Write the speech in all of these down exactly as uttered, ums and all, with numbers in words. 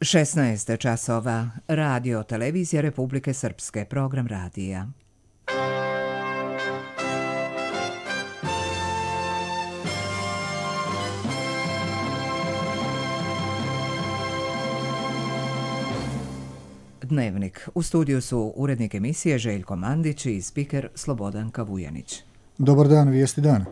šesnaest časova. Radio Televizija Republike Srpske. Program radija. Dnevnik. U studiju su urednik emisije Željko Mandić i spiker Slobodanka Vujanić. Dobar dan, vijesti dana.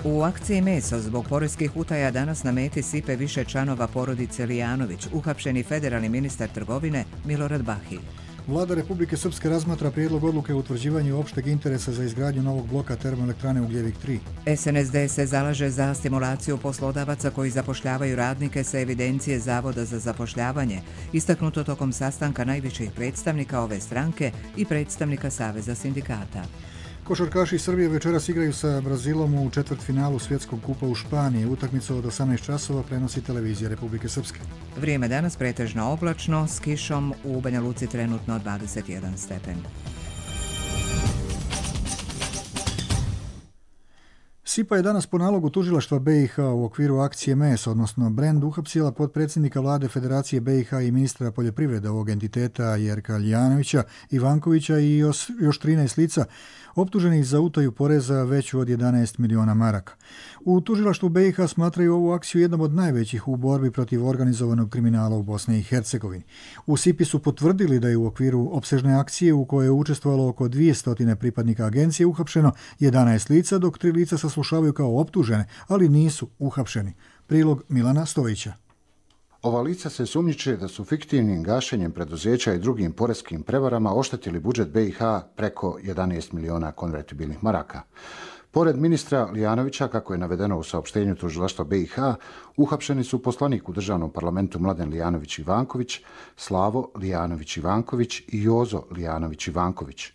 U akciji Meso zbog poreskih utaja danas na meti sipe više članova porodice Lijanović, uhapšeni federalni ministar trgovine Milorad Bahilj. Vlada Republike Srpske razmatra prijedlog odluke o utvrđivanju opšteg interesa za izgradnju novog bloka termoelektrane Ugljevik tri. S N S D se zalaže za stimulaciju poslodavaca koji zapošljavaju radnike sa evidencije Zavoda za zapošljavanje, istaknuto tokom sastanka najviših predstavnika ove stranke i predstavnika Saveza sindikata. Košarkaši Srbije večeras igraju sa Brazilom u četvrtfinalu Svjetskog kupa u Španiji. Utakmicu od osamnaest časova prenosi Televizija Republike Srpske. Vrijeme danas pretežno oblačno, s kišom, u Banja Luci trenutno dvadeset jedan stepen. S I P A je danas po nalogu tužilaštva B i H u okviru akcije Meso, odnosno Brend, uhapsila potpredsjednika vlade Federacije B i H i ministra poljoprivrede ovog entiteta Jerka Lijanovića, Ivankovića i još, još trinaest lica optuženih za utaju poreza veću od jedanaest miliona maraka. U tužilaštvu B i H smatraju ovu akciju jednom od najvećih u borbi protiv organizovanog kriminala u Bosni i Hercegovini. U S I P I su potvrdili da je u okviru opsežne akcije u kojoj je učestvovalo oko dvjesto pripadnika agencije uhapšeno jedanaest lica, dok tri lica saslušavaju kao optužene, ali nisu uhapšeni. Prilog Milana Stojića. Ova lica se sumnjiče da su fiktivnim gašenjem preduzeća i drugim poreskim prevarama oštetili budžet B i H preko jedanaest miliona konvertibilnih maraka. Pored ministra Lijanovića, kako je navedeno u saopštenju tužilaštva B i H, uhapšeni su poslanik u državnom parlamentu Mladen Lijanović-Ivanković, Slavo Lijanović-Ivanković i Jozo Lijanović-Ivanković.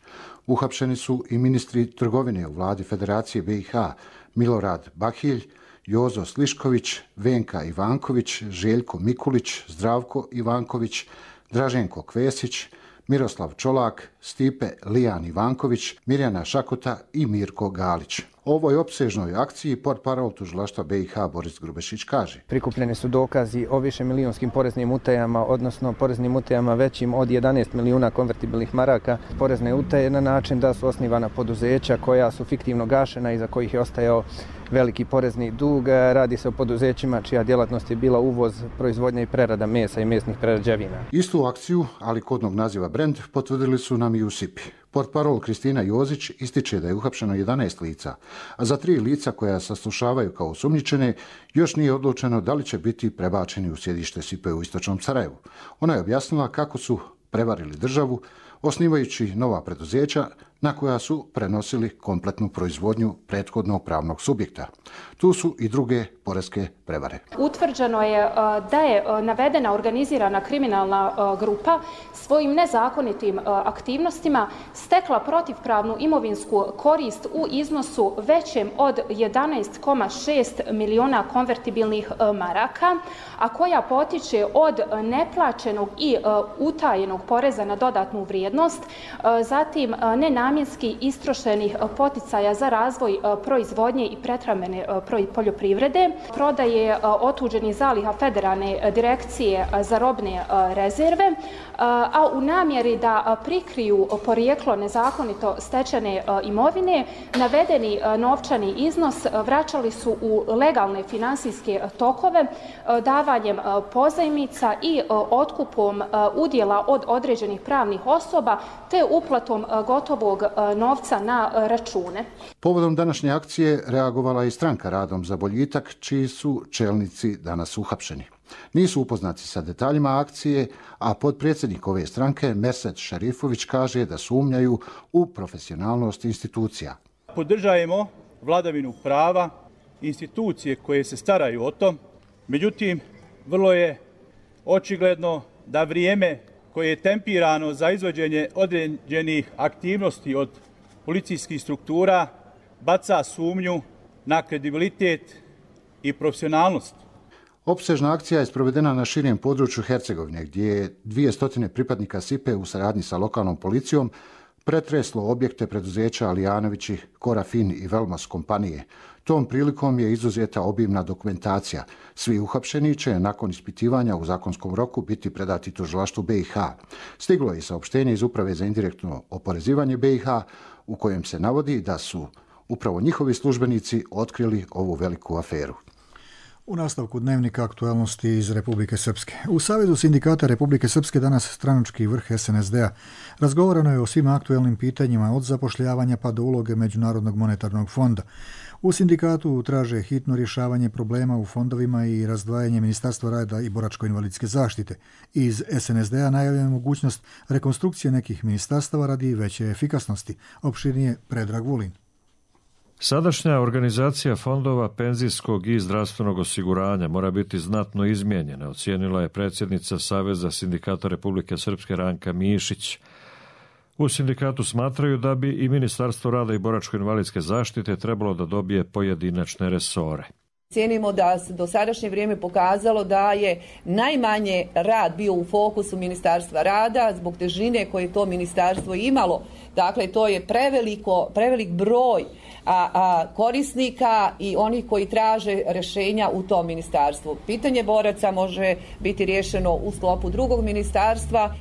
Uhapšeni su i ministri trgovine u vladi Federacije B i H, Milorad Bahilj, Jozo Slišković, Venka Ivanković, Željko Mikulić, Zdravko Ivanković, Draženko Kvesić, Miroslav Čolak, Stipe Lijan Ivanković, Mirjana Šakota i Mirko Galić. O ovoj opsežnoj akciji portparol tužilaštva B i H Boris Grubešić kaže: Prikupljeni su dokazi o višemilionskim poreznim utajama, odnosno poreznim utajama većim od jedanaest milijuna konvertibilnih maraka. Porezne utaje na način da su osnivana poduzeća koja su fiktivno gašena i za kojih je ostajao veliki porezni dug. Radi se o poduzećima čija djelatnost je bila uvoz, proizvodnja i prerada mesa i mesnih prerađevina. Istu akciju, ali kodnog naziva Brend, potvrdili su nam i u S I P I. Portparol Kristina Jozić ističe da je uhapšeno jedanaest lica, a za tri lica koja saslušavaju kao osumnjičene još nije odlučeno da li će biti prebačeni u sjedište S I P A u Istočnom Sarajevu. Ona je objasnila kako su prevarili državu, osnivajući nova preduzeća na koja su prenosili kompletnu proizvodnju prethodnog pravnog subjekta. Tu su i druge poreske prevare. Utvrđeno je da je navedena organizirana kriminalna grupa svojim nezakonitim aktivnostima stekla protivpravnu imovinsku korist u iznosu većem od jedanaest zarez šest miliona konvertibilnih maraka, a koja potiče od neplaćenog i utajenog poreza na dodatnu vrijednost, zatim nenamjenski istrošenih poticaja za razvoj proizvodnje i prehrambene poljoprivrede, prodaje otuđenih zaliha Federalne direkcije za robne rezerve, a u namjeri da prikriju porijeklo nezakonito stečene imovine, navedeni novčani iznos vraćali su u legalne finansijske tokove davanjem pozajmica i otkupom udjela od određenih pravnih osoba te uplatom gotovog novca na račune. Povodom današnje akcije reagovala i stranka Radom za boljitak, čiji su čelnici danas uhapšeni. Nisu upoznati sa detaljima akcije, a potpredsjednik ove stranke Merset Šarifović kaže da sumnjaju u profesionalnost institucija. Podržajemo vladavinu prava, institucije koje se staraju o tom, međutim, vrlo je očigledno da vrijeme koje je tempirano za izvođenje određenih aktivnosti od policijskih struktura baca sumnju na kredibilitet i profesionalnost. Opsežna akcija je sprovedena na širem području Hercegovine, gdje je dvije stotine pripadnika S I P A u saradnji sa lokalnom policijom pretreslo objekte preduzeća Alijanovići, Korafin i Velmos kompanije. Tom prilikom je izuzeta obimna dokumentacija. Svi uhapšeni će nakon ispitivanja u zakonskom roku biti predati tužilaštvu B i H. Stiglo je i saopštenje iz Uprave za indirektno oporezivanje B i H u kojem se navodi da su upravo njihovi službenici otkrili ovu veliku aferu. U nastavku dnevnika aktualnosti iz Republike Srpske. U Savezu sindikata Republike Srpske danas stranački vrh S N S D-a. Razgovarano je o svim aktuelnim pitanjima od zapošljavanja pa do uloge Međunarodnog monetarnog fonda. U sindikatu traže hitno rješavanje problema u fondovima i razdvajanje Ministarstva rada i boračko-invalidske zaštite. Iz S N S D-a najavljena je mogućnost rekonstrukcije nekih ministarstava radi veće efikasnosti. Opširnije Predrag Vulin. Sadašnja organizacija fondova penzijskog i zdravstvenog osiguranja mora biti znatno izmijenjena, ocijenila je predsjednica Saveza sindikata Republike Srpske Ranka Mišić. U sindikatu smatraju da bi i Ministarstvo rada i boračko-invalidske zaštite trebalo da dobije pojedinačne resore. Cijenimo da se do sadašnje vrijeme pokazalo da je najmanje rad bio u fokusu Ministarstva rada zbog težine koje je to ministarstvo imalo. Dakle, to je preveliko, prevelik broj a, a, korisnika i onih koji traže rješenja u tom ministarstvu. Pitanje boraca može biti riješeno u sklopu drugog ministarstva.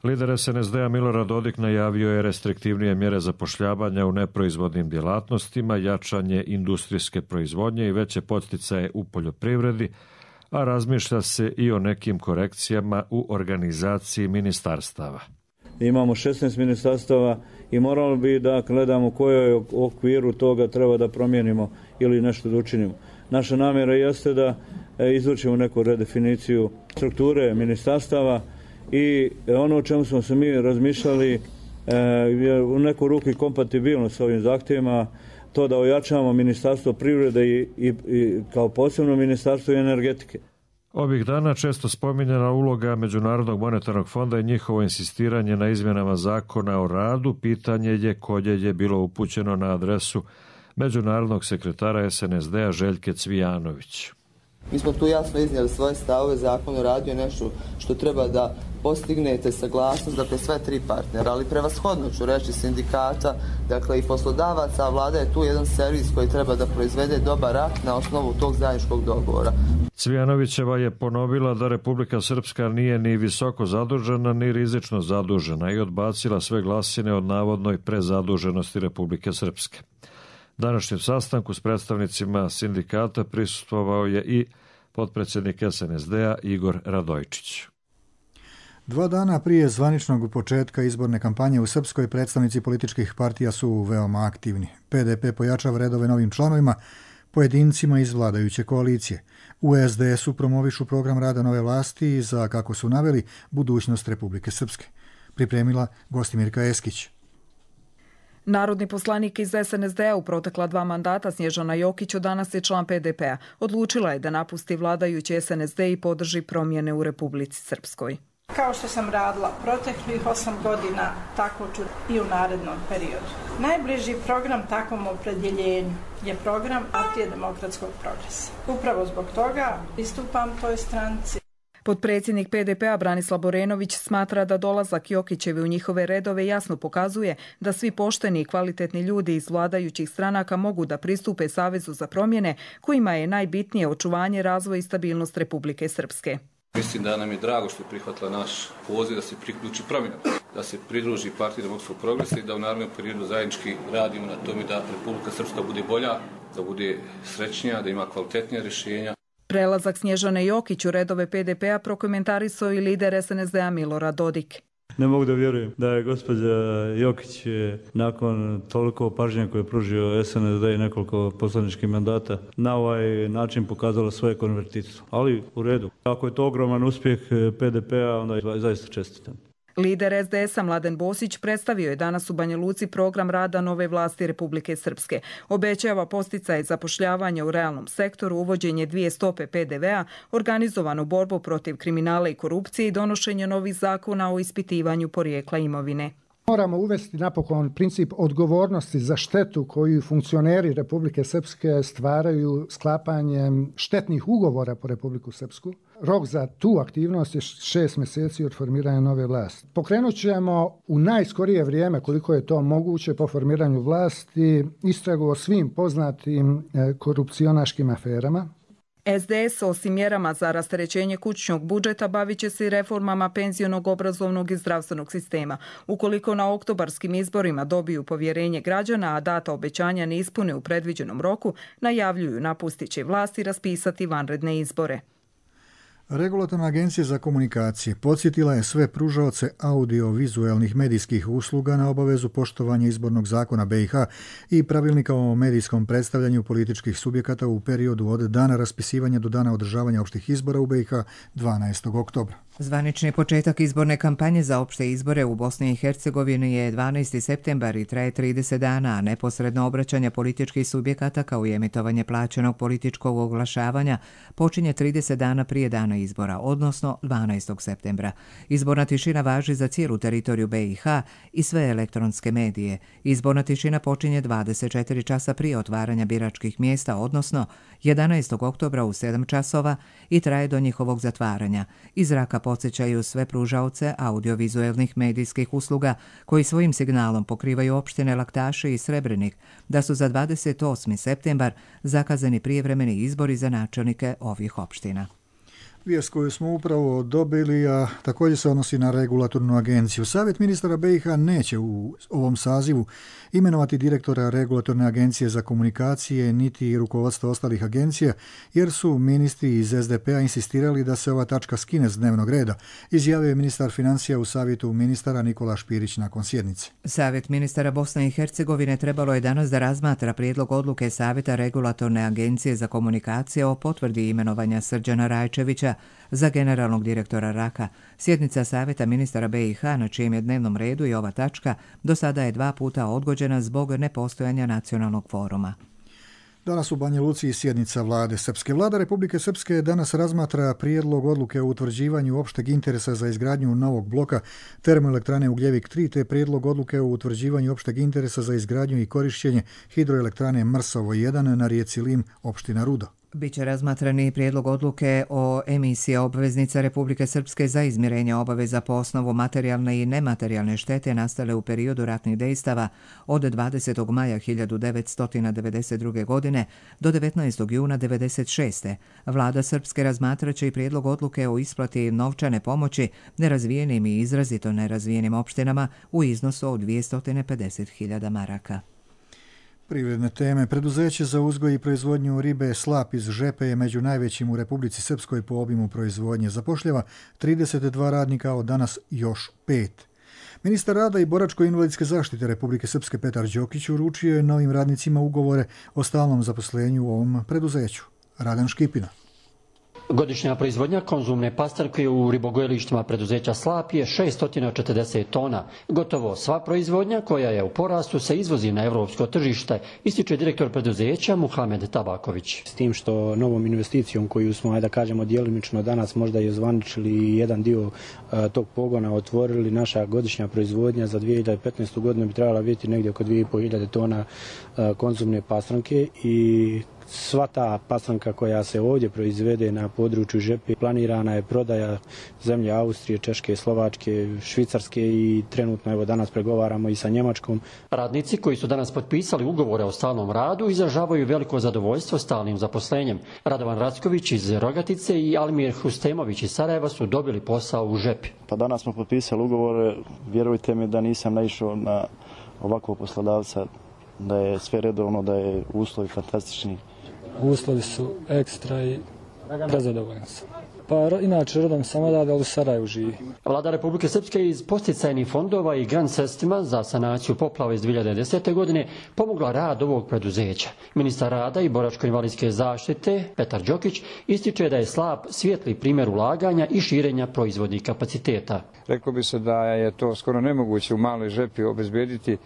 Lider S N S D-a Milorad Dodik najavio je restriktivnije mjere zapošljavanja u neproizvodnim djelatnostima, jačanje industrijske proizvodnje i veće podsticaje u poljoprivredi, a razmišlja se i o nekim korekcijama u organizaciji ministarstava. Imamo šesnaest ministarstava i moralo bi da gledamo kojoj okviru toga treba da promijenimo ili nešto da učinimo. Naša namjera jeste da izvršimo neku redefiniciju strukture ministarstava i ono o čemu smo se mi razmišljali je u neku ruku kompatibilno s ovim zahtjevima, to da ojačamo Ministarstvo privrede i, i, i kao posebno Ministarstvo energetike. Ovih dana često spominjena uloga Međunarodnog monetarnog fonda i njihovo insistiranje na izmjenama zakona o radu, pitanje je koje je bilo upućeno na adresu međunarodnog sekretara S N S D-a Željke Cvijanović. Mi smo tu jasno iznijeli svoje stavove, zakon o radu je nešto što treba da postignete saglasnost, dakle sve tri partnera, ali prevashodno ću reći sindikata, dakle i poslodavaca, a vlada je tu jedan servis koji treba da proizvede dobar akt na osnovu tog zajedničkog dogovora. Cvijanovićeva je ponovila da Republika Srpska nije ni visoko zadužena, ni rizično zadužena i odbacila sve glasine od navodnoj prezaduženosti Republike Srpske. Današnjem sastanku s predstavnicima sindikata prisustvovao je i potpredsjednik S N S D-a Igor Radojčić. Dva dana prije zvaničnog početka izborne kampanje u Srpskoj predstavnici političkih partija su veoma aktivni. P D P pojačava redove novim članovima, pojedincima iz vladajuće koalicije. U S D S-u promovišu program rada nove vlasti za, kako su naveli, budućnost Republike Srpske. Pripremila Gostimirka Eskić. Narodni poslanik iz S N S D-a u protekla dva mandata Snježana Jokić danas je član P D P-a. Odlučila je da napusti vladajući S N S D i podrži promjene u Republici Srpskoj. Kao što sam radila proteklih osam godina, tako ću i u narednom periodu. Najbliži program takvom opredjeljenju je program Partije demokratskog progresa. Upravo zbog toga pristupam toj stranci. Potpredsjednik P D P-a Branislav Borenović smatra da dolazak Jokićevi u njihove redove jasno pokazuje da svi pošteni i kvalitetni ljudi iz vladajućih stranaka mogu da pristupe Savezu za promjene, kojima je najbitnije očuvanje, razvoj i stabilnost Republike Srpske. Mislim da nam je drago što je prihvatila naš poziv da se priključi promjenama, da se pridruži Partiji demokratskog progresa i da u narednom periodu zajednički radimo na tome da Republika Srpska bude bolja, da bude srećnija, da ima kvalitetnija rješenja. Prelazak Snježane Jokić u redove P D P-a prokomentarisao i lider S N S D-a Milorad Dodik. Ne mogu da vjerujem da je gospođa Jokić nakon toliko pažnje koje je pružio S N S D i nekoliko poslaničkih mandata na ovaj način pokazala svoje konvertitstvo. Ali u redu. Ako je to ogroman uspjeh P D P-a, onda je zaista čestitam. Lider S D S-a Mladen Bosić predstavio je danas u Banja Luci program rada nove vlasti Republike Srpske. Obećava posticaje zapošljavanja u realnom sektoru, uvođenje dvije stope P D V-a, organizovanu borbu protiv kriminala i korupcije i donošenje novih zakona o ispitivanju porijekla imovine. Moramo uvesti napokon princip odgovornosti za štetu koju funkcioneri Republike Srpske stvaraju sklapanjem štetnih ugovora po Republiku Srpsku. Rok za tu aktivnost je šest mjeseci od formiranja nove vlasti. Pokrenut ćemo u najskorije vrijeme, koliko je to moguće, po formiranju vlasti istragu o svim poznatim korupcionaškim aferama. S D S osim mjerama za rasterećenje kućnog budžeta bavit će se i reformama penzionog, obrazovnog i zdravstvenog sistema. Ukoliko na oktobarskim izborima dobiju povjerenje građana, a data obećanja ne ispune u predviđenom roku, najavljuju napustit će vlast i raspisati vanredne izbore. Regulatorna agencija za komunikacije podsjetila je sve pružaoce audio-vizualnih medijskih usluga na obavezu poštovanja izbornog zakona B i H i pravilnika o medijskom predstavljanju političkih subjekata u periodu od dana raspisivanja do dana održavanja opštih izbora u B i H dvanaestog oktobra. Zvanični početak izborne kampanje za opšte izbore u Bosni i Hercegovini je dvanaesti septembar i traje trideset dana, a neposredno obraćanje političkih subjekata kao i emitovanje plaćenog političkog oglašavanja počinje trideset dana prije dana izbora, odnosno dvanaestog septembra. Izborna tišina važi za cijelu teritoriju B i H i sve elektronske medije. Izborna tišina počinje dvadeset četiri časa prije otvaranja biračkih mjesta, odnosno jedanaestog oktobra u sedam časova i traje do njihovog zatvaranja. Iz zraka podsjećaju sve pružaoce audiovizualnih medijskih usluga koji svojim signalom pokrivaju opštine Laktaše i Srebrenik da su za dvadeset osmi septembar zakazani prijevremeni izbori za načelnike ovih opština. Vijest koju smo upravo dobili, a također se odnosi na regulatornu agenciju. Savjet ministara B i H neće u ovom sazivu imenovati direktora regulatorne agencije za komunikacije niti rukovodstvo ostalih agencija, jer su ministri iz S D P-a insistirali da se ova tačka skine s dnevnog reda, izjavio je ministar financija u savjetu ministara Nikola Špirić nakon sjednice. Savjet ministara Bosne i Hercegovine trebalo je danas da razmatra prijedlog odluke Savjeta regulatorne agencije za komunikacije o potvrdi imenovanja Srđana Rajčevića za generalnog direktora R A K-a. Sjednica Savjeta ministara B i H, na čijem je dnevnom redu i ova tačka, do sada je dva puta odgođena zbog nepostojanja nacionalnog foruma. Danas u Banja Luci sjednica vlade Srpske. Vlada Republike Srpske danas razmatra prijedlog odluke o utvrđivanju opšteg interesa za izgradnju novog bloka termoelektrane Ugljevik tri, te prijedlog odluke o utvrđivanju opšteg interesa za izgradnju i korišćenje hidroelektrane Mrsovo jedan na rijeci Lim, opština Rudo. Biće razmatrani prijedlog odluke o emisiji obveznica Republike Srpske za izmirenje obaveza po osnovu materijalne i nematerijalne štete nastale u periodu ratnih dejstava od dvadesetog maja hiljadu devetsto devedeset druge. godine do devetnaestog juna devedeset šeste. Vlada Srpske razmatraće i prijedlog odluke o isplati novčane pomoći nerazvijenim i izrazito nerazvijenim opštinama u iznosu od dvjesto pedeset hiljada maraka. Privredne teme. Preduzeće za uzgoj i proizvodnju ribe Slap iz Žepe je među najvećim u Republici Srpskoj po obimu proizvodnje. Zapošljava trideset dva radnika, od danas još pet. Ministar rada i boračko-invalidske zaštite Republike Srpske Petar Đokić uručio je novim radnicima ugovore o stalnom zaposlenju u ovom preduzeću. Radan Škipina. Godišnja proizvodnja konzumne pastrke u ribogojilištima preduzeća Slap je šesto četrdeset tona. Gotovo sva proizvodnja koja je u porastu se izvozi na evropsko tržište, ističe direktor preduzeća Muhamed Tabaković. S tim što novom investicijom koju smo, ajde da kažemo, djelimično danas možda i ozvaničili jedan dio a, tog pogona otvorili, naša godišnja proizvodnja za dvije hiljade petnaestu. godinu bi trebala biti negdje oko dvije i pol hiljade tona a, konzumne pastranke i sva ta pastranka koja se ovdje proizvede na području Žepe, planirana je prodaja zemlje Austrije, Češke, Slovačke, Švicarske i trenutno evo danas pregovaramo i sa Njemačkom. Radnici koji su danas potpisali ugovore o stalnom radu izražavaju veliko zadovoljstvo stalnim zaposlenjem. Radovan Racković iz Rogatice i Almir Hustemović iz Sarajeva su dobili posao u Žepi. Pa danas smo potpisali ugovore, vjerujte mi da nisam naišao na ovakvog poslodavca, da je sve redovno, da je uslovi fantastični. Uslovi su ekstra i prezadovoljan sam. Pa inače rodom sam odavde, ali u Sarajevu živi. Vlada Republike Srpske iz posticajnih fondova i grant sredstvima za sanaciju poplava iz dvije hiljade desete. godine pomogla rad ovog preduzeća. Ministar rada i boračko-invalidske zaštite Petar Đokić ističe da je Slap svijetli primjer ulaganja i širenja proizvodnih kapaciteta. Reklo bi se da je to skoro nemoguće u maloj Žepi obezbediti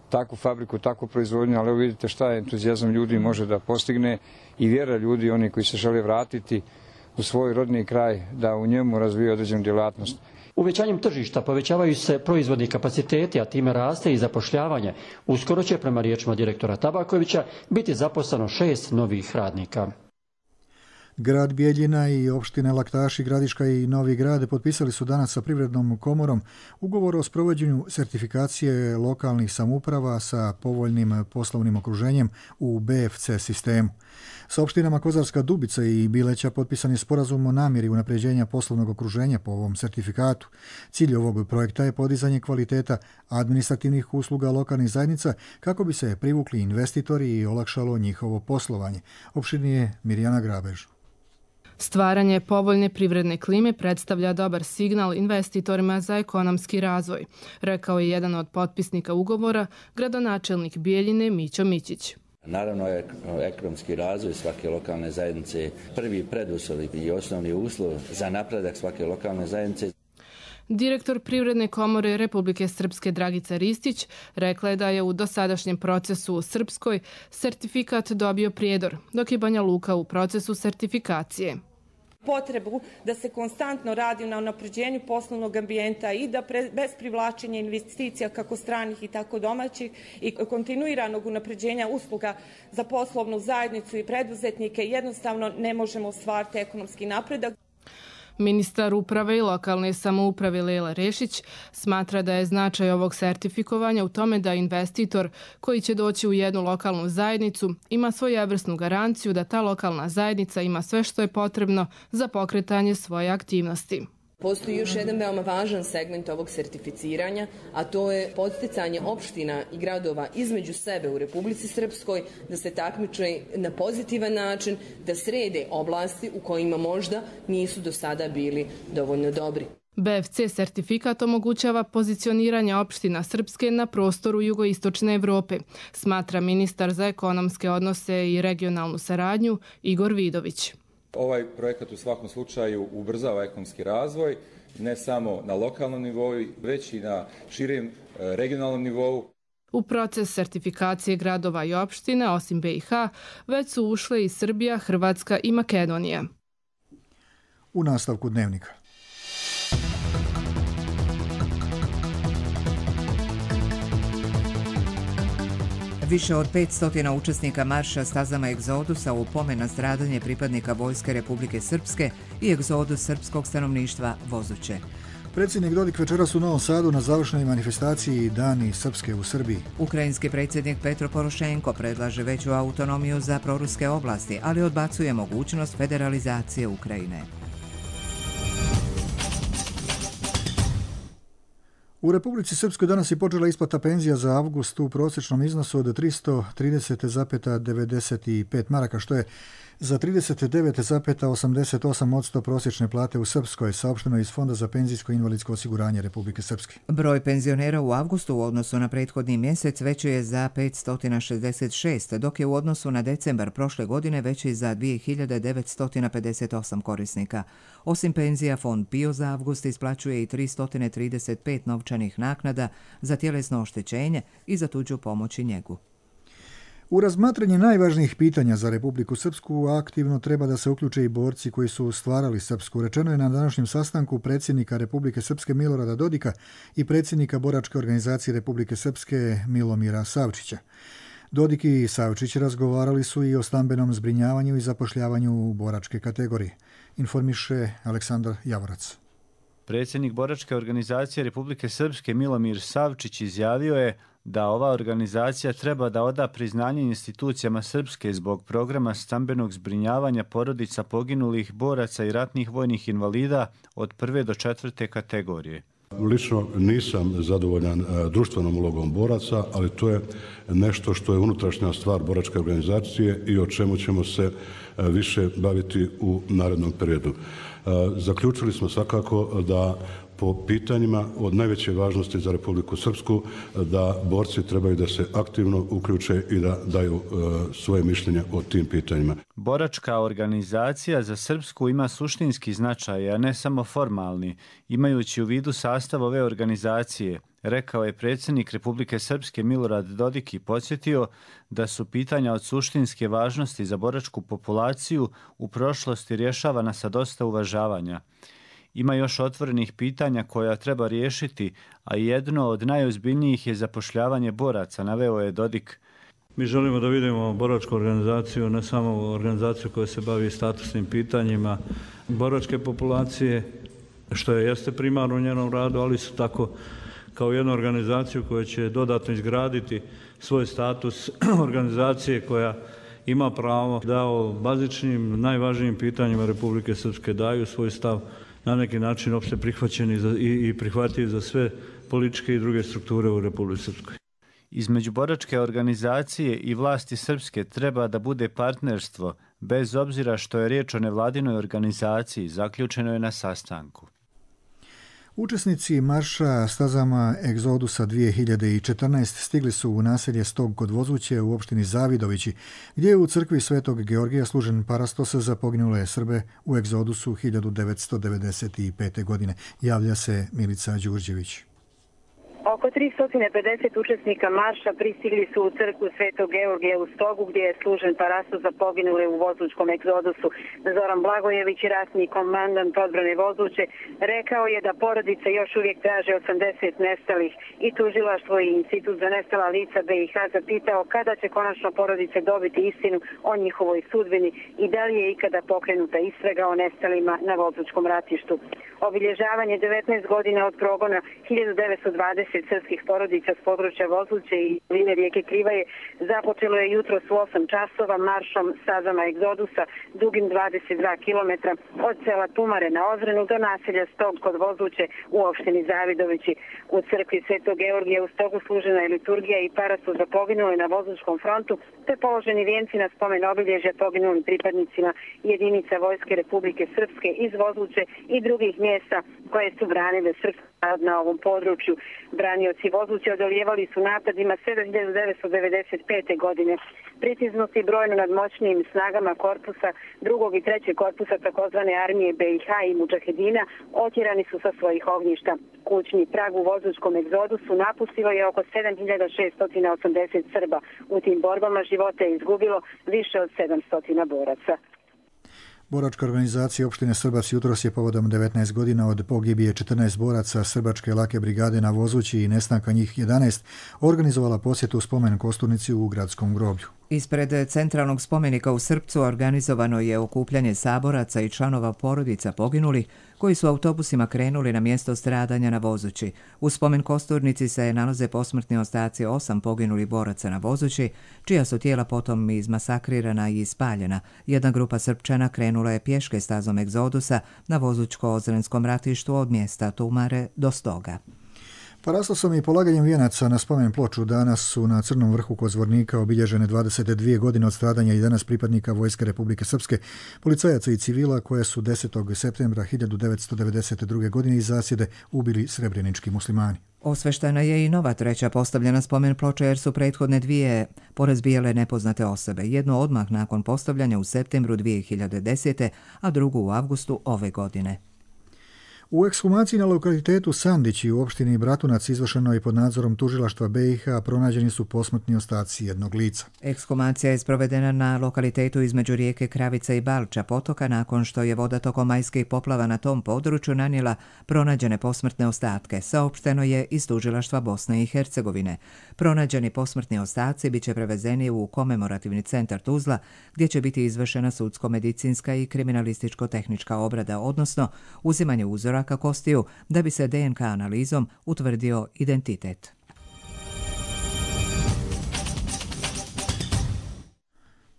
takvu fabriku, takvu proizvodnju, ali evo vidite šta je entuzijazam ljudi može da postigne i vjera ljudi, oni koji se žele vratiti u svoj rodni kraj, da u njemu razviju određenu djelatnost. Uvećanjem tržišta povećavaju se proizvodni kapaciteti, a time raste i zapošljavanje. Uskoro će, prema riječima direktora Tabakovića, biti zaposleno šest novih radnika. Grad Bijeljina i opštine Laktaši, Gradiška i Novi Grad potpisali su danas sa Privrednom komorom ugovor o sprovođenju sertifikacije lokalnih samouprava sa povoljnim poslovnim okruženjem u B F C sistemu. Sa opštinama Kozarska Dubica i Bileća potpisan je sporazum o namjeri unapređenja poslovnog okruženja po ovom sertifikatu. Cilj ovog projekta je podizanje kvaliteta administrativnih usluga lokalnih zajednica kako bi se privukli investitori i olakšalo njihovo poslovanje. Opštinije Mirjana Grabež. Stvaranje povoljne privredne klime predstavlja dobar signal investitorima za ekonomski razvoj, rekao je jedan od potpisnika ugovora, gradonačelnik Bijeljine Mićo Mićić. Naravno, ekonomski razvoj svake lokalne zajednice prvi preduslov i osnovni uslov za napredak svake lokalne zajednice. Direktor Privredne komore Republike Srpske Dragica Ristić rekla je da je u dosadašnjem procesu u Srpskoj sertifikat dobio Prijedor, dok je Banja Luka u procesu sertifikacije. Potrebu da se konstantno radi na unapređenju poslovnog ambijenta i da pre, bez privlačenja investicija kako stranih i tako domaćih i kontinuiranog unapređenja usluga za poslovnu zajednicu i preduzetnike jednostavno ne možemo ostvariti ekonomski napredak. Ministar uprave i lokalne samouprave Lela Rešić smatra da je značaj ovog sertifikovanja u tome da investitor koji će doći u jednu lokalnu zajednicu ima svojevrsnu garanciju da ta lokalna zajednica ima sve što je potrebno za pokretanje svoje aktivnosti. Postoji još jedan veoma važan segment ovog sertificiranja, a to je podsticanje opština i gradova između sebe u Republici Srpskoj da se takmiče na pozitivan način, da srede oblasti u kojima možda nisu do sada bili dovoljno dobri. B F C sertifikat omogućava pozicioniranje opština Srpske na prostoru jugoistočne Evrope, smatra ministar za ekonomske odnose i regionalnu saradnju Igor Vidović. Ovaj projekat u svakom slučaju ubrzava ekonomski razvoj, ne samo na lokalnom nivou, već i na širem regionalnom nivou. U proces sertifikacije gradova i opština, osim B i H, već su ušle i Srbija, Hrvatska i Makedonija. U nastavku dnevnika. Više od petsto učesnika marša stazama egzodusa u pomen na stradanje pripadnika Vojske Republike Srpske i egzodus srpskog stanovništva vozuće. Predsjednik Dodik večeras u Novom Sadu na završnoj manifestaciji Dani Srpske u Srbiji. Ukrajinski predsjednik Petro Porošenko predlaže veću autonomiju za proruske oblasti, ali odbacuje mogućnost federalizacije Ukrajine. U Republici Srpskoj danas je počela isplata penzija za avgust u prosječnom iznosu od tristo trideset zarez devedeset pet maraka, što je za trideset devet zarez osamdeset osam posto prosječne plate u Srpskoj, saopšteno iz Fonda za penzijsko i invalidsko osiguranje Republike Srpske. Broj penzionera u avgustu u odnosu na prethodni mjesec veći je za petsto šezdeset šest, dok je u odnosu na decembar prošle godine veći za dvije hiljade devetsto pedeset osam korisnika. Osim penzija, Fond PIO za avgust isplaćuje i tristo trideset pet novčanih naknada za tjelesno oštećenje i za tuđu pomoć i njegu. U razmatranje najvažnijih pitanja za Republiku Srpsku aktivno treba da se uključe i borci koji su stvarali Srpsku. Rečeno je na današnjem sastanku predsjednika Republike Srpske Milorada Dodika i predsjednika Boračke organizacije Republike Srpske Milomira Savčića. Dodik i Savčić razgovarali su i o stambenom zbrinjavanju i zapošljavanju u boračke kategorije. Informiše Aleksandar Javorac. Predsjednik Boračke organizacije Republike Srpske Milomir Savčić izjavio je da ova organizacija treba da oda priznanje institucijama Srpske zbog programa stambenog zbrinjavanja porodica poginulih boraca i ratnih vojnih invalida od prve do četvrte kategorije. Lično nisam zadovoljan društvenom ulogom boraca, ali to je nešto što je unutrašnja stvar boračke organizacije i o čemu ćemo se više baviti u narednom periodu. Zaključili smo svakako da po pitanjima od najveće važnosti za Republiku Srpsku da borci trebaju da se aktivno uključe i da daju uh, svoje mišljenje o tim pitanjima. Boračka organizacija za Srpsku ima suštinski značaj, a ne samo formalni, imajući u vidu sastav ove organizacije, rekao je predsjednik Republike Srpske Milorad Dodik i podsjetio da su pitanja od suštinske važnosti za boračku populaciju u prošlosti rješavana sa dosta uvažavanja. Ima još otvorenih pitanja koja treba riješiti, a jedno od najozbiljnijih je zapošljavanje boraca, naveo je Dodik. Mi želimo da vidimo boračku organizaciju, ne samo organizaciju koja se bavi statusnim pitanjima boračke populacije, što je jeste primarno u njenom radu, ali su tako kao jednu organizaciju koja će dodatno izgraditi svoj status organizacije koja ima pravo da o bazičnim, najvažnijim pitanjima Republike Srpske daju svoj stav na neki način opšte prihvaćeni i prihvatljiv za sve političke i druge strukture u Republici Srpskoj. Između boračke organizacije i vlasti srpske treba da bude partnerstvo, bez obzira što je riječ o nevladinoj organizaciji, zaključeno je na sastanku. Učesnici marša stazama Egzodusa dvije hiljade četrnaest stigli su u naselje Stog kod Vozuće u opštini Zavidovići, gdje je u crkvi Svetog Georgija služen parastos za poginule Srbe u Egzodusu hiljadu devetsto devedeset pete. godine. Javlja se Milica Đurđević. Oko tristo pedeset učesnika marša pristigli su u crkvu Svetog Georgija u Stogu, gdje je služen parastos za poginule u Vozučkom egzodusu. Zoran Blagojević, ratni komandant odbrane Vozuće, rekao je da porodice još uvijek traže osamdeset nestalih i tužilaštvo i Institut za nestala lica B i H zapitao kada će konačno porodice dobiti istinu o njihovoj sudbini i da li je ikada pokrenuta istraga o nestalima na Vozučkom ratištu. Obilježavanje devetnaest godina od progona hiljadu devetsto dvadeset srpskih porodica s područja Vozuće i doline rijeke Krivaje započelo je jutros u osam časova maršom stazama Egzodusa dugim dvadeset dva kilometra od sela Tumare na Ozrenu do naselja Stog kod Vozuće u opštini Zavidovići. U crkvi Svetog Georgija u Stogu služena je liturgija i parastos za poginule na Vozučkom frontu, te položeni vijenci na spomen obilježja poginulim pripadnicima jedinica Vojske Republike Srpske iz Vozuće i drugih mjesta koje su branile srpski narod na ovom području. Branioci Vozuće odolijevali su napadima sve do hiljadu devetsto devedeset pete. godine. Pritisnuti brojno nad moćnijim snagama korpusa drugog i trećeg korpusa takozvane armije B i H i Mudžahedina otjerani su sa svojih ognjišta. Kućni prag u Vozučkom egzodusu napustilo je oko sedam hiljada šeststo osamdeset Srba. U tim borbama života je izgubilo više od sedamsto boraca. Boračka organizacija opštine Srbac jutros je povodom devetnaest godina od pogibije četrnaest boraca Srbačke lake brigade na Vozući i nestanka njih jedanaest organizovala posjetu spomen kosturnici u gradskom groblju. Ispred centralnog spomenika u Srpcu organizovano je okupljanje saboraca i članova porodica poginulih koji su autobusima krenuli na mjesto stradanja na Vozući. U spomen kosturnici se nalaze posmrtni ostaci osam poginulih boraca na Vozući, čija su tijela potom izmasakrirana i ispaljena. Jedna grupa Srpčana krenula je pješke stazom Egzodusa na Vozučko-Ozrenskom ratištu od mjesta Tumare do Stoga. Parastosom i polaganjem vijenaca na spomen ploču danas su na Crnom vrhu kod Zvornika obilježene dvadeset dvije godine od stradanja jedanaest pripadnika Vojske Republike Srpske, policajaca i civila koje su desetog septembra hiljadu devetsto devedeset druge. godine iz zasjede ubili srebrenički muslimani. Osveštena je i nova treća postavljena spomen ploča jer su prethodne dvije porazbijale nepoznate osobe. Jedno odmah nakon postavljanja u septembru dvije hiljade desete. a drugu u avgustu ove godine. U ekshumaciji na lokalitetu Sandići u opštini Bratunac izvršeno je pod nadzorom tužilaštva B i H pronađeni su posmrtni ostaci jednog lica. Ekshumacija je sprovedena na lokalitetu između rijeke Kravica i Balča potoka nakon što je voda tokom majskih poplava na tom području nanijela pronađene posmrtne ostatke, saopšteno je iz tužilaštva Bosne i Hercegovine. Pronađeni posmrtni ostaci biće prevezeni u komemorativni centar Tuzla, gdje će biti izvršena sudsko-medicinska i kriminalističko-tehnička obrada, odnosno uzimanje uzora ka kostiju da bi se D N K analizom utvrdio identitet.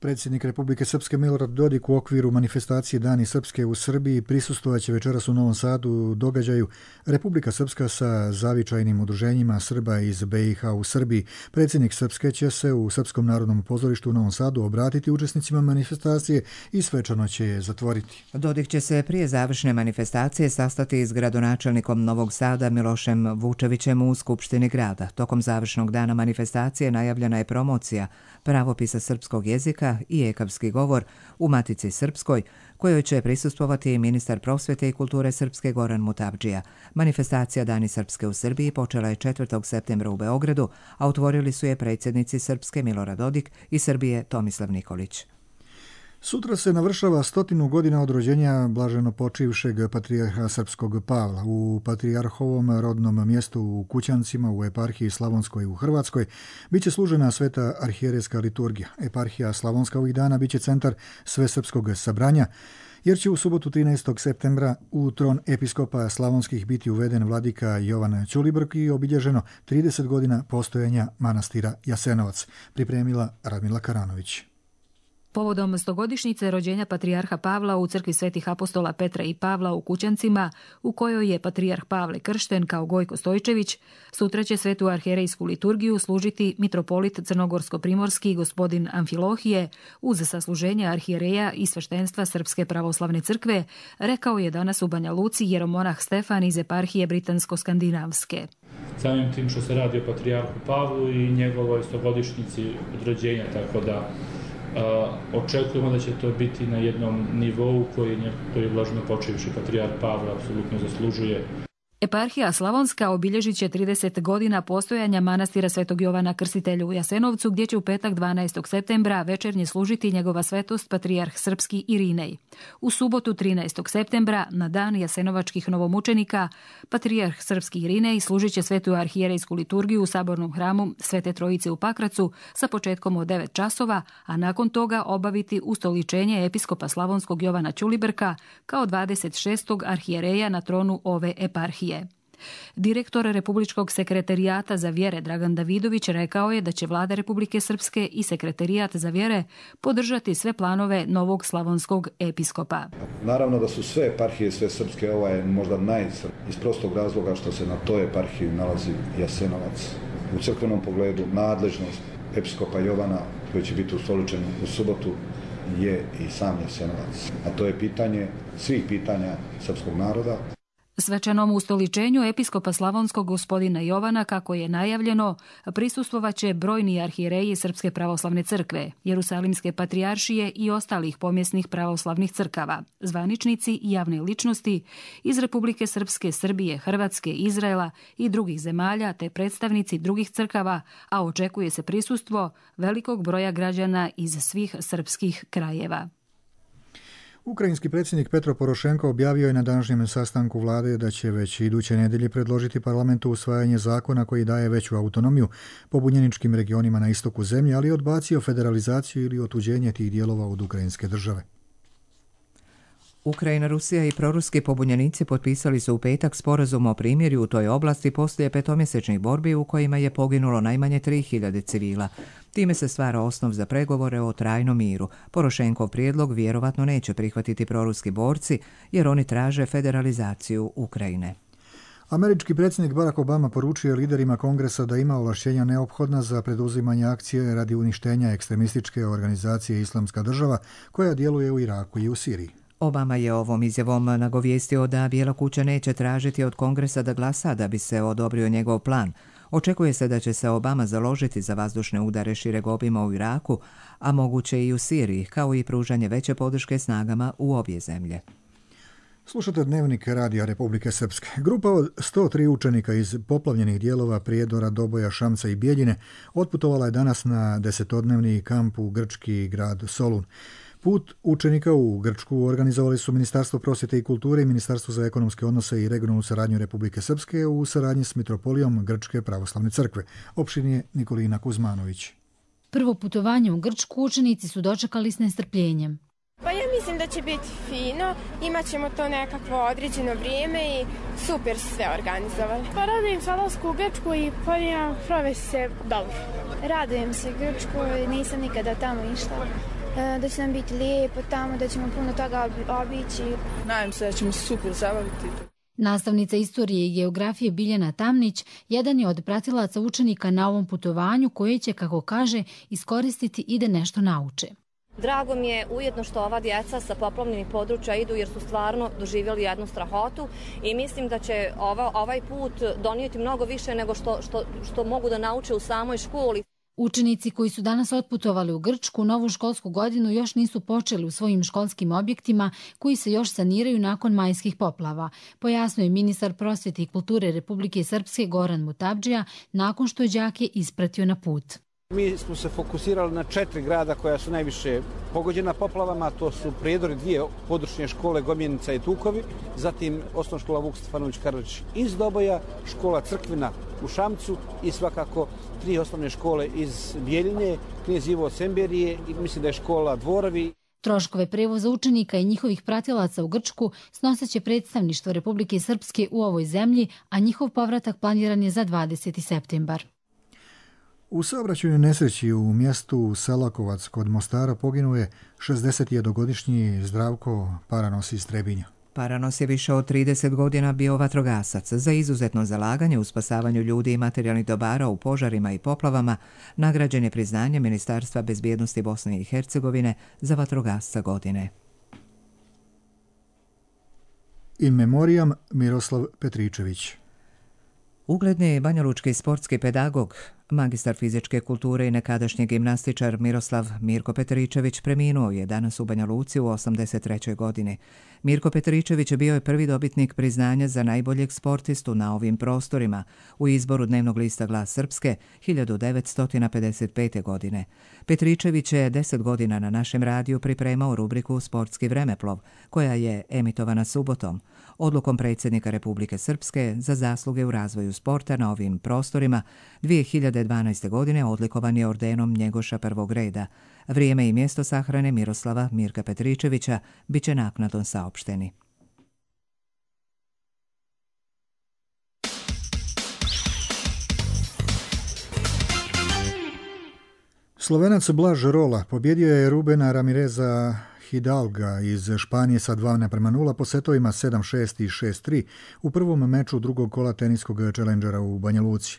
Predsjednik Republike Srpske Milorad Dodik u okviru manifestacije Dani Srpske u Srbiji prisustvovaće večeras u Novom Sadu događaju Republika Srpska sa zavičajnim udruženjima Srba iz B i H u Srbiji. Predsjednik Srpske će se u Srpskom narodnom pozorištu u Novom Sadu obratiti učesnicima manifestacije i svečano će je zatvoriti. Dodik će se prije završne manifestacije sastati s gradonačelnikom Novog Sada Milošem Vučevićem u Skupštini grada. Tokom završnog dana manifestacije najavljena je promocija pravopisa srpskog jezika i ekavski govor u Matici Srpskoj, kojoj će prisustvovati i ministar prosvjete i kulture Srpske Goran Mutavdžija. Manifestacija Dani Srpske u Srbiji počela je četvrtog septembra u Beogradu, a otvorili su je predsjednici Srpske Milorad Dodik i Srbije Tomislav Nikolić. Sutra se navršava stotinu godina od rođenja blaženopočivšeg patrijarha srpskog Pavla. U patrijarhovom rodnom mjestu u Kućancima u eparhiji Slavonskoj u Hrvatskoj biće služena sveta arhijerejska liturgija. Eparhija Slavonska ovih dana biće centar svesrpskog sabranja, jer će u subotu trinaestog septembra u tron episkopa slavonskih biti uveden vladika Jovan Ćulibrk i obilježeno trideset godina postojanja manastira Jasenovac, pripremila Radmila Karanović. Povodom stogodišnjice rođenja patrijarha Pavla u crkvi svetih apostola Petra i Pavla u Kućancima, u kojoj je patrijarh Pavle kršten kao Gojko Stojčević, sutra će svetu arhijerejsku liturgiju služiti mitropolit crnogorsko-primorski gospodin Amfilohije uz sasluženje arhijereja i sveštenstva Srpske pravoslavne crkve, rekao je danas u Banja Luci jeromonah Stefan iz eparhije Britansko-skandinavske. Samim tim što se radi o patrijarhu Pavlu i njegovoj stogodišnjici od rođenja, tako da Uh, očekujemo da će to biti na jednom nivou koji je blaženopočivši patrijarh Pavle apsolutno zaslužuje. Eparhija Slavonska obilježit će trideset godina postojanja manastira Svetog Jovana Krstitelja u Jasenovcu, gdje će u petak dvanaestog septembra večernje služiti njegova svetost patrijarh srpski Irinej. U subotu trinaestog septembra, na dan jasenovačkih novomučenika, patrijarh srpski Irinej služit će svetu arhijerejsku liturgiju u sabornom hramu Svete Trojice u Pakracu sa početkom od devet časova, a nakon toga obaviti ustoličenje episkopa slavonskog Jovana Ćulibrka kao dvadeset šestog arhijereja na tronu ove eparhije. Direktor Republičkog sekretarijata za vjere Dragan Davidović rekao je da će Vlada Republike Srpske i Sekretarijat za vjere podržati sve planove novog slavonskog episkopa. Naravno da su sve eparhije, sve srpske, ova je možda najsrp iz prostog razloga što se na toj eparhiji nalazi Jasenovac. U crkvenom pogledu nadležnost episkopa Jovana, koji će biti ustoličen u subotu, je i sam Jasenovac. A to je pitanje svih pitanja srpskog naroda. Svečanom ustoličenju episkopa slavonskog gospodina Jovana, kako je najavljeno, prisustvovaće brojni arhijereji Srpske pravoslavne crkve, Jerusalimske patrijaršije i ostalih pomjesnih pravoslavnih crkava, zvaničnici i javne ličnosti iz Republike Srpske, Srbije, Hrvatske, Izraela i drugih zemalja, te predstavnici drugih crkava, a očekuje se prisustvo velikog broja građana iz svih srpskih krajeva. Ukrajinski predsjednik Petro Porošenko objavio je na današnjem sastanku vlade da će već iduće nedelje predložiti parlamentu usvajanje zakona koji daje veću autonomiju pobunjeničkim regionima na istoku zemlje, ali odbacio federalizaciju ili otuđenje tih dijelova od ukrajinske države. Ukrajina, Rusija i proruski pobunjenici potpisali su u petak sporazum o primirju u toj oblasti poslije petomjesečnih borbi u kojima je poginulo najmanje tri hiljade civila. Time se stvara osnov za pregovore o trajnom miru. Porošenkov prijedlog vjerovatno neće prihvatiti proruski borci jer oni traže federalizaciju Ukrajine. Američki predsjednik Barack Obama poručio liderima kongresa da ima ovlašćenja neophodna za preduzimanje akcije radi uništenja ekstremističke organizacije Islamska država koja djeluje u Iraku i u Siriji. Obama je ovom izjavom nagovijestio da Bijela kuća neće tražiti od kongresa da glasa da bi se odobrio njegov plan. Očekuje se da će se Obama založiti za vazdušne udare šireg obima u Iraku, a moguće i u Siriji, kao i pružanje veće podrške snagama u obje zemlje. Slušate Dnevnik Radija Republike Srpske. Grupa od sto tri učenika iz poplavljenih dijelova Prijedora, Doboja, Šamca i Bijeljine otputovala je danas na desetodnevni kamp u grčki grad Solun. Put učenika u Grčku organizovali su Ministarstvo prosvjete i kulture i Ministarstvo za ekonomske odnose i regionalnu saradnju Republike Srpske u saradnji s Mitropolijom Grčke pravoslavne crkve. Opštinje Nikolina Kuzmanović. Prvo putovanje u Grčku učenici su dočekali s nestrpljenjem. Pa ja mislim da će biti fino, imat ćemo to nekakvo određeno vrijeme i super su sve organizovali. Pa radujem se odlasku u Grčku i planiramo provesti se dobro. Radujem se Grčku, nisam nikada tamo išla. Da će nam biti lijepo tamo, da ćemo puno toga obići. Nadam se da ćemo super zabaviti. Nastavnica istorije i geografije Biljana Tamnić jedan je od pratilaca učenika na ovom putovanju koje će, kako kaže, iskoristiti i da nešto nauče. Drago mi je ujedno što ova djeca sa poplavljenih područja idu jer su stvarno doživjeli jednu strahotu i mislim da će ova, ovaj put donijeti mnogo više nego što, što, što mogu da nauče u samoj školi. Učenici koji su danas otputovali u Grčku novu školsku godinu još nisu počeli u svojim školskim objektima koji se još saniraju nakon majskih poplava, pojasnio je ministar prosvjete i kulture Republike Srpske Goran Mutabdžija nakon što je đake ispratio na put. Mi smo se fokusirali na četiri grada koja su najviše pogođena poplavama, to su Prijedor i dvije područne škole Gomjenica i Tukovi, zatim osnovna škola Vuk Stefanović Karadžić iz Doboja, škola Crkvina u Šamcu i svakako tri osnovne škole iz Bijeljine, Knez Ivo Semberije i mislim da je škola Dvorovi. Troškove prevoza učenika i njihovih pratilaca u Grčku snoseće predstavništvo Republike Srpske u ovoj zemlji, a njihov povratak planiran je za dvadeseti septembar. U saobraćajnoj nesreći u mjestu Selakovac kod Mostara poginuo je šezdesetjednogodišnji Zdravko Paranos iz Trebinja. Paranos je više od trideset godina bio vatrogasac. Za izuzetno zalaganje u spasavanju ljudi i materijalnih dobara u požarima i poplavama nagrađen je priznanje Ministarstva bezbjednosti Bosne i Hercegovine za vatrogasca godine. In memoriam Miroslav Petričević. Ugledni banjalučki sportski pedagog, magistar fizičke kulture i nekadašnji gimnastičar Miroslav Mirko Petričević preminuo je danas u Banja Luci u osamdeset trećoj godini. Mirko Petričević bio je prvi dobitnik priznanja za najboljeg sportistu na ovim prostorima u izboru dnevnog lista Glas Srpske hiljadu devetsto pedeset pete. godine. Petričević je deset godina na našem radiju pripremao rubriku Sportski vremeplov, koja je emitovana subotom. Odlukom predsjednika Republike Srpske za zasluge u razvoju sporta na ovim prostorima dvije hiljade dvanaeste. godine odlikovan je ordenom Njegoša prvog reda. Vrijeme i mjesto sahrane Miroslava Mirka Petričevića bit će naknadno saopšteni. Slovenac Blaž Rola pobjedio je Rubena Ramireza Hidalga iz Španije sa dva naprema nula po setovima sedam šest i šest tri u prvom meču drugog kola teniskog Challengera u Banja Luci.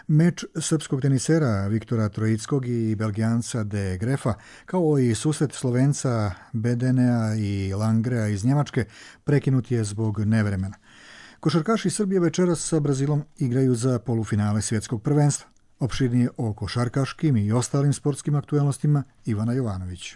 Meč srpskog tenisera Viktora Trojickog i Belgijanca de Grefa, kao i susret Slovenca Bedenea i Langrea iz Njemačke, prekinut je zbog nevremena. Košarkaši Srbije večeras sa Brazilom igraju za polufinale svjetskog prvenstva. Opširnije o košarkaškim i ostalim sportskim aktuelnostima Ivana Jovanović.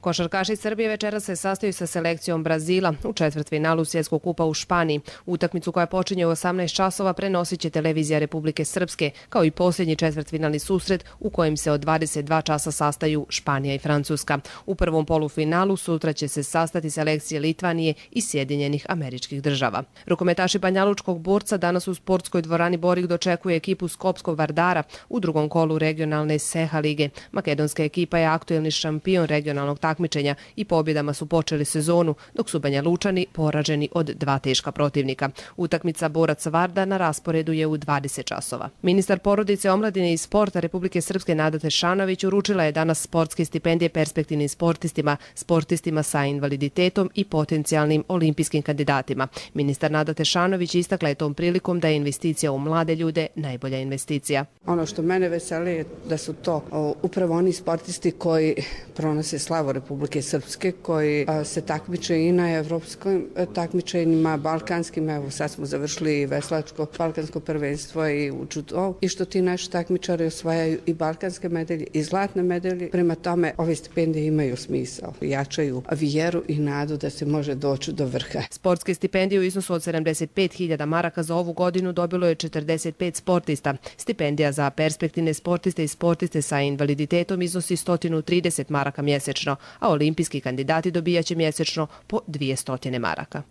Košarkaši Srbije večera se sastaju sa selekcijom Brazila u četvrtfinalu Svjetskog kupa u Španiji. Utakmicu koja počinje u osamnaest časova prenosit će televizija Republike Srpske, kao i posljednji četvrtfinalni susret u kojem se od dvadeset dva časa sastaju Španija i Francuska. U prvom polufinalu sutra će se sastati selekcije Litvanije i Sjedinjenih Američkih Država. Rukometaši Banjalučkog Borca danas u sportskoj dvorani Borik dočekuje ekipu Skopskog Vardara u drugom kolu regionalne Seha lige. Makedonska ekipa je aktuelni šampion regionalnog takmičenja takmičenja i pobjedama su počeli sezonu, dok su Banja Lučani poraženi od dva teška protivnika. Utakmica Borac Varda na rasporedu je u dvadeset časova. Ministar porodice, omladine i sporta Republike Srpske Nada Tešanović uručila je danas sportske stipendije perspektivnim sportistima, sportistima sa invaliditetom i potencijalnim olimpijskim kandidatima. Ministar Nada Tešanović istakla je tom prilikom da je investicija u mlade ljude najbolja investicija. Ono što mene veseli je da su to o, upravo oni sportisti koji pronose slavu Republike Srpske, koji a, se takmiče i na evropskim takmičenjima, balkanskim, evo sad smo završili veslačko balkansko prvenstvo i u judo, i što ti naši takmičari osvajaju i balkanske medalje i zlatne medalje. Prema tome, ove stipendije imaju smisao, jačaju vjeru i nadu da se može doći do vrha. Sportske stipendije u iznosu od sedamdeset pet hiljada maraka za ovu godinu dobilo je četrdeset pet sportista. Stipendija za perspektivne sportiste i sportiste sa invaliditetom iznosi sto trideset maraka mjesečno, a olimpijski kandidati dobijaće mjesečno po dvjesto maraka.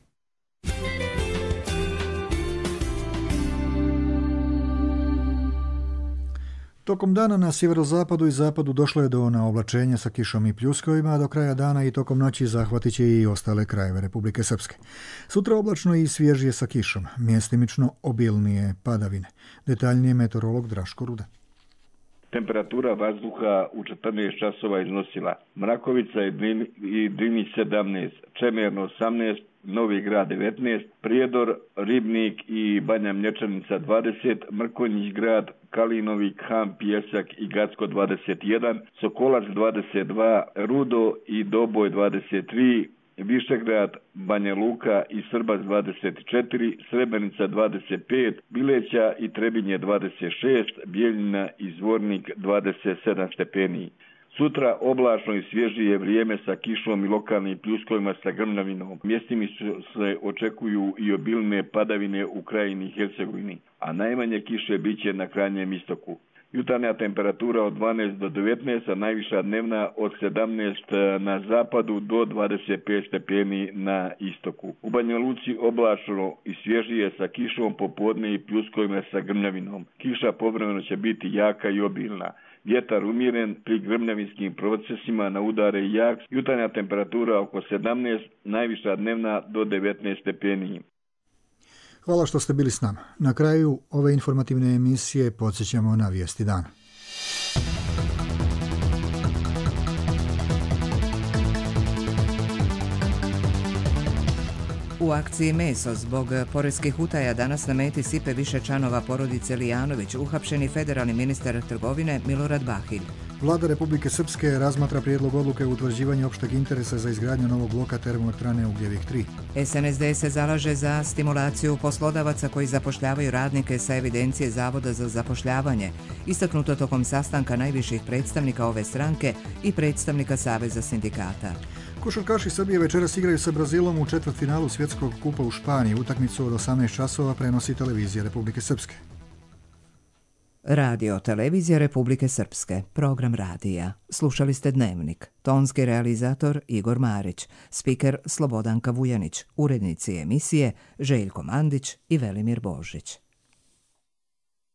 Tokom dana na sjeverozapadu i zapadu došlo je do naoblačenja sa kišom i pljuskovima, a do kraja dana i tokom noći zahvatit će i ostale krajeve Republike Srpske. Sutra oblačno i svježije sa kišom, mjestimično obilnije padavine. Detaljnije meteorolog Draško Ruda. Temperatura vazduha u četrnaest časova iznosila Mrakovica i Drinić sedamnaest, Čemerno osamnaest, Novi Grad devetnaest, Prijedor, Ribnik i Banja Mlječanica dvadeset, Mrkonjić Grad, Kalinovik, Ham, Pijesak i Gacko dvadeset jedan, Sokolac dvadeset dva, Rudo i Doboj dvadeset tri, Višegrad, Banja Luka i Srbac dvadeset četiri, Srebrenica dvadeset pet, Bileća i Trebinje dvadeset šest, Bijeljina i Zvornik dvadeset sedam stepeni. Sutra oblačno i svježije vrijeme sa kišom i lokalnim pljuskovima sa grmljavinom. Mjestimi se očekuju i obilne padavine u krajini Hercegovini, a najmanje kiše biće na krajnjem istoku. Jutarnja temperatura od dvanaest do devetnaest, a najviša dnevna od sedamnaest na zapadu do dvadeset pet stepeni na istoku. U Banja Luci oblačno i svježije sa kišom popodne i pljuskovima sa grmljavinom. Kiša povremeno će biti jaka i obilna. Vjetar umjeren, pri grmljavinskim procesima na udare i jak. Jutarnja temperatura oko sedamnaest, najviša dnevna do devetnaest stepeni. Hvala što ste bili s nama. Na kraju ove informativne emisije podsjećamo na vijesti dana. U akciji Meso zbog poreskih utaja danas na meti sipe više članova porodice Lijanović, uhapšeni federalni ministar trgovine Milorad Bahilj. Vlada Republike Srpske razmatra prijedlog odluke o utvrđivanju opšteg interesa za izgradnju novog bloka termoelektrane Ugljevik tri. S N S D se zalaže za stimulaciju poslodavaca koji zapošljavaju radnike sa evidencije Zavoda za zapošljavanje, istaknuto tokom sastanka najviših predstavnika ove stranke i predstavnika Saveza sindikata. Košarkaši Srbije večeras igraju sa Brazilom u četvrtfinalu svjetskog kupa u Španiji. Utakmicu od osamnaest časova prenosi televizija Republike Srpske. Radio Televizija Republike Srpske, program radija. Slušali ste Dnevnik. Tonski realizator Igor Marić, spiker Slobodanka Vujanić, urednici emisije Željko Mandić i Velimir Božić.